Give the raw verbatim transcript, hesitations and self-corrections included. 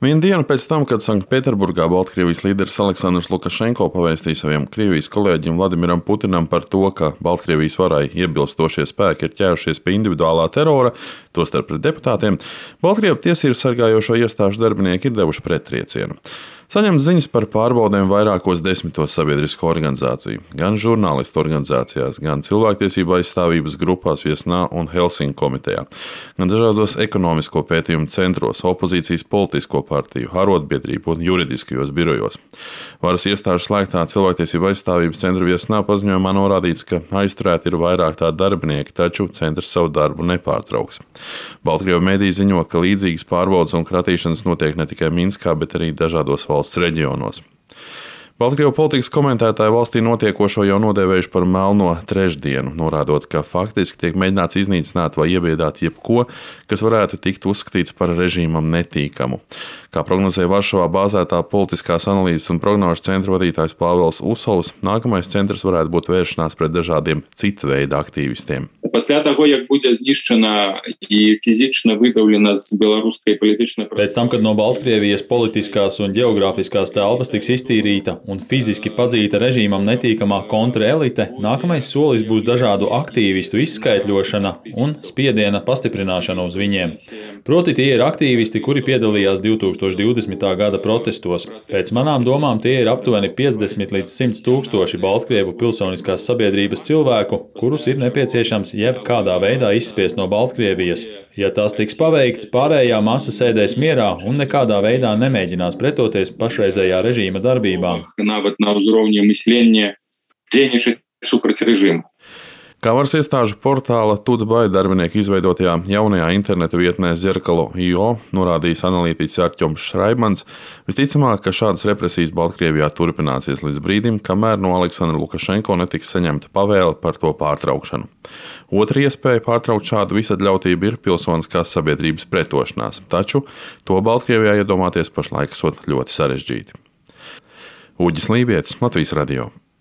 Vienu dienu pēc tam, kad Sanktpēterburgā Baltkrievijas līderis Aleksandrs Lukašenko pavēstīja saviem Krievijas kolēģim Vladimiram Putinam par to, ka Baltkrievijas varai iebilstošie spēki ir ķērušies pie individuālā terora, tostarp pret deputātiem, Baltkrievu tiesību sargājošo iestāžu darbinieki ir devuši prettriecienu. Saņemt ziņas par pārbaudēm vairākos desmitos sabiedrisko organizāciju, gan žurnālistu organizācijās, gan cilvēktiesību aizstāvības grupās Viesnā un Helsinku komitejā, gan dažādos ekonomisko pētījumu centros, opozīcijas politisko partiju, arotbiedrību un juridiskajos birojos. Varas iestāžu slēgtā cilvēktiesību aizstāvības centra Viesnā paziņojumā norādīts, ka aizturēti ir vairāk tā darbinieki, taču centrs savu darbu nepārtrauks. Baltkrievu mediji ziņo, ka līdzīgas pārbaudes un kratīšanas notiek ne tikai Minskā, bet arī dažādos valsts reģionos. Baltkrievu politikas komentētāji valstī notiekošo jau nodēvējuši par melno trešdienu, norādot, ka faktiski tiek mēģināts iznīcināt vai iebiedāt jebko, kas varētu tikt uzskatīts par režīmam netīkamu. Kā prognozēja Varšavā bāzētā politiskās analīzes un prognožu centra vadītājs Pāvels Usovs, nākamais centrs varētu būt vēršanās pret dažādiem cita veida aktīvistiem. Після того, як буде знищена і фізично видавлена з білоруської політичної просторі. Pēc tam, kad no Baltkrievijas politiskās un geogrāfiskās telpas tiks iztīrīta un fiziski padzīta režīmam netīkamā kontraelite, nākamais solis būs dažādu aktīvistu izskaitļošana un spiediena pastiprināšana uz viņiem. Proti tie ir aktīvisti, kuri piedalījās divtūkstoš divdesmitā gada protestos. Pēc manām domām tie ir aptuveni piecdesmit līdz simt tūkstoši Baltkrievu pilsoniskās sabiedrības cilvēku, kurus ir nepieciešams jebkādā veidā izspiest no Baltkrievijas. Ja tas tiks paveikts, pārējā masa sēdēs mierā un nekādā veidā nemēģinās pretoties pašreizējā režīma darbībām. Kā varas iestāžu portāla Tudbai darbinieku izveidotajā jaunajā interneta vietnē Zerkalo punkt i o norādījis analītiķis Artjoms Šraibmans, visticamāk, ka šādas represijas Baltkrievijā turpināsies līdz brīdim, kamēr no Aleksandra Lukašenko netiks saņemta pavēle par to pārtraukšanu. Otra iespēja pārtraukt šādu visatļautību ir pilsoniskās sabiedrības pretošanās, taču to Baltkrievijā iedomāties pašlaik esot ļoti sarežģīti. Uģis Lībietis, Latvijas radio.